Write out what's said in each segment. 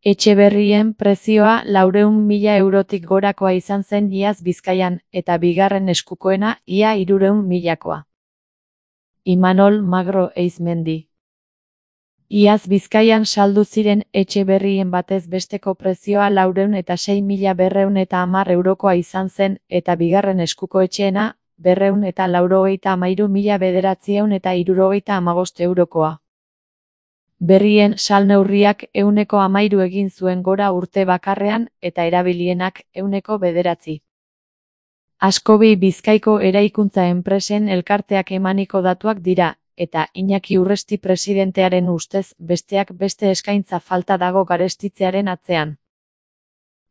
Etxe berrien prezioa 400.000 eurotik gorakoa izan zen iaz Bizkaian, eta bigarren eskukoena ia 300.000koa. Imanol Magro Eizmendi. Iaz Bizkaian saldu ziren etxe berrien batez besteko prezioa 406.210 eurokoa izan zen, eta bigarren eskuko etxeena 293.975 eurokoa. Berrien salneurriak 13% egin zuen gora urte bakarrean, eta erabilienak 9%. Askobi Bizkaiko eraikuntza enpresen elkarteak emaniko datuak dira, eta Iñaki Urresti presidentearen ustez besteak beste eskaintza falta dago garestitzearen atzean.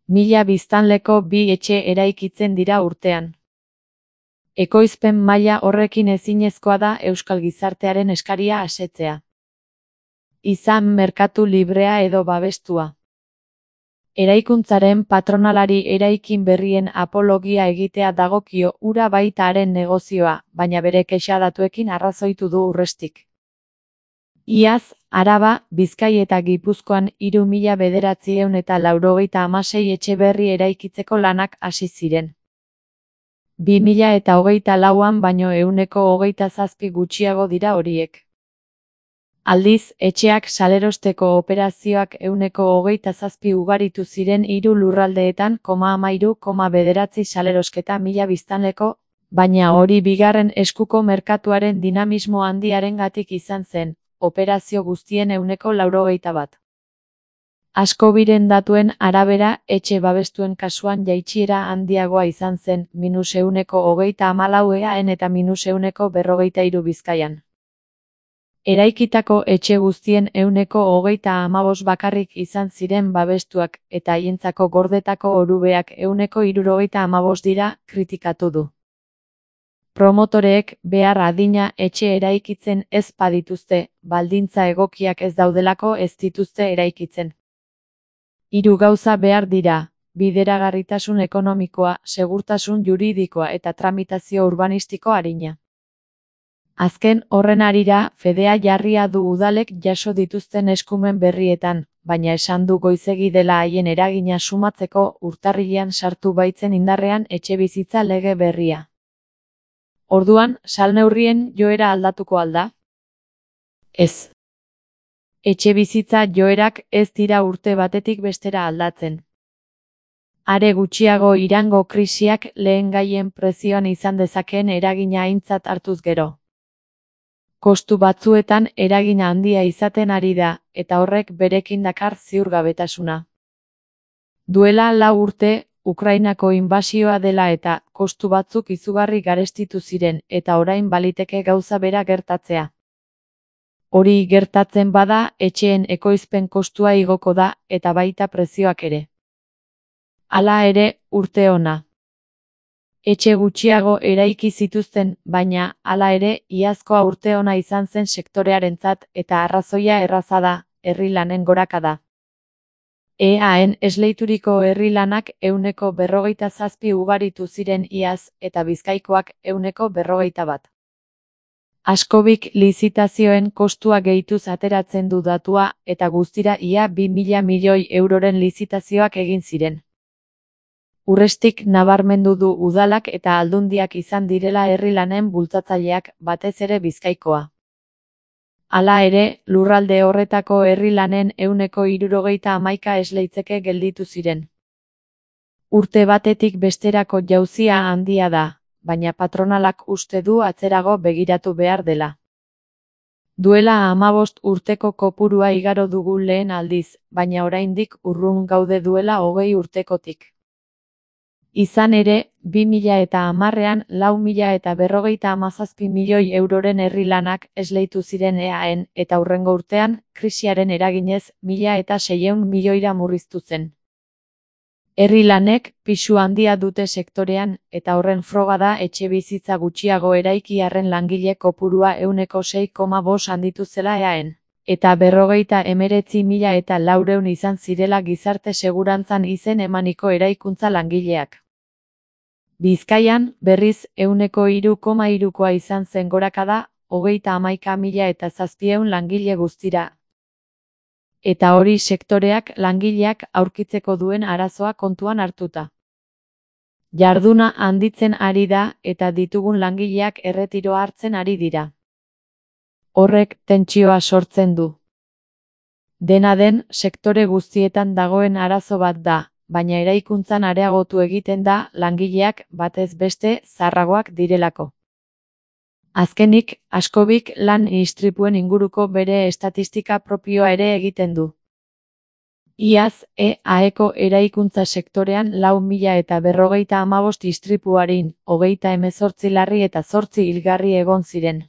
1000 biztanleko 2 etxe eraikitzen dira urtean. Ekoizpen maila horrekin ezinezkoa da euskal gizartearen eskaria asetzea. Izan merkatu librea edo babestua. Eraikuntzaren patronalari eraikin berrien apologia egitea dagokio hura baita haren negozioa, baina bere kexa datuekin arrazoitu du Urrestik. Iaz, Araba, Bizkai eta Gipuzkoan 3.996 etxe berri eraikitzeko lanak hasi ziren. 2024an baino 27% gutxiago dira horiek. Aldiz, etxeak salerosteko operazioak 27% ugaritu ziren 3 lurraldeetan, 13,9 salerosketa 1000 biztanleko, baina hori bigarren eskuko merkatuaren dinamismo handiarengatik izan zen, operazio guztien 91%. Askobiren datuen arabera, etxe babestuen kasuan jaitsiera handiagoa izan zen, -1,34 EAEn eta -1,43 Bizkaian. Eraikitako etxe guztien 1,35 bakarrik izan ziren babestuak, eta haientzako gordetako orubeak 1,75 dira, kritikatu du. Promotoreek behar adina etxe eraikitzen ez badituzte, baldintza egokiak ez daudelako ez dituzte eraikitzen. 3 gauza behar dira: bideragarritasun ekonomikoa, segurtasun juridikoa eta tramitazio urbanistiko arina. Azken horren harira, fedea jarria du udalek jaso dituzten eskumen berrietan, baina esan du goizegi dela haien eragina sumatzeko urtarrilean sartu baitzen indarrean etxebizitza lege berria. Orduan, salneurrien joera aldatuko al da? Ez. Etxebizitza joerak ez dira urte batetik bestera aldatzen. Are gutxiago Irango krisiak lehengaien prezioan izan dezakeen eragina aintzat hartuz gero. Kostu batzuetan eragina handia izaten ari da, eta horrek berekin dakar ziurgabetasuna. Duela 4 urte, Ukrainako inbasioa dela eta kostu batzuk izugarri garestitu ziren, eta orain baliteke gauza bera gertatzea. Hori gertatzen bada, etxeen ekoizpen kostua igoko da, eta baita prezioak ere. Hala ere, urte ona. Etxe gutxiago eraiki zituzten, baina, hala ere, iazkoa urte ona izan zen sektorearentzat, eta arrazoia erraza da, herri lanen gorakada. EAEn esleituriko herri lanak 147 ugaritu ziren iaz, eta Bizkaikoak 141. Askobik lizitazioen kostua gehituz ateratzen du datua, eta guztira ia 2.000 milioi euroren lizitazioak egin ziren. Urrestik nabarmendu du udalak eta aldundiak izan direla herri lanen bultzatzaileak, batez ere Bizkaikoa. Hala ere, lurralde horretako herri lanen 171 esleitzeke gelditu ziren. Urte batetik besterako jauzia handia da, baina patronalak uste du atzerago begiratu behar dela. Duela 15 urteko kopurua igaro dugu lehen aldiz, baina oraindik urrun gaude duela 20 urtekotik. Izan ere, 2010ean 4.057 milioi euroren herri lanak esleitu ziren EAEn, eta hurrengo urtean, krisiaren eraginez, 1.600 milioira murriztu zen. Herri lanek pisu handia dute sektorean, eta horren froga da etxebizitza gutxiago eraiki arren langile kopurua 6,5 handitu zela EAEn. Eta 59.400 izan zirela gizarte segurantzan izen emaniko eraikuntza langileak. Bizkaian, berriz 3,3koa izan zen gorakada, 31.700 langile guztira. Eta hori sektoreak langileak aurkitzeko duen arazoa kontuan hartuta. Jarduna handitzen ari da eta ditugun langileak erretiroa hartzen ari dira. Horrek tentsioa sortzen du. Dena den, sektore guztietan dagoen arazo bat da, baina eraikuntzan areagotu egiten da langileak batez beste zaharragoak direlako. Azkenik, Askobik lan istripuen inguruko bere estatistika propioa ere egiten du. Iaz, EAEko eraikuntza sektorean 4.055 istripuarin, 38 larri eta 8 hilgarri egon ziren.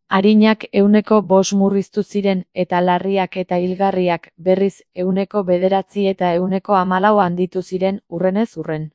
Arinak 5% murriztu ziren eta larriak eta hilgarriak berriz 9% eta 14% handitu ziren hurrenez hurren.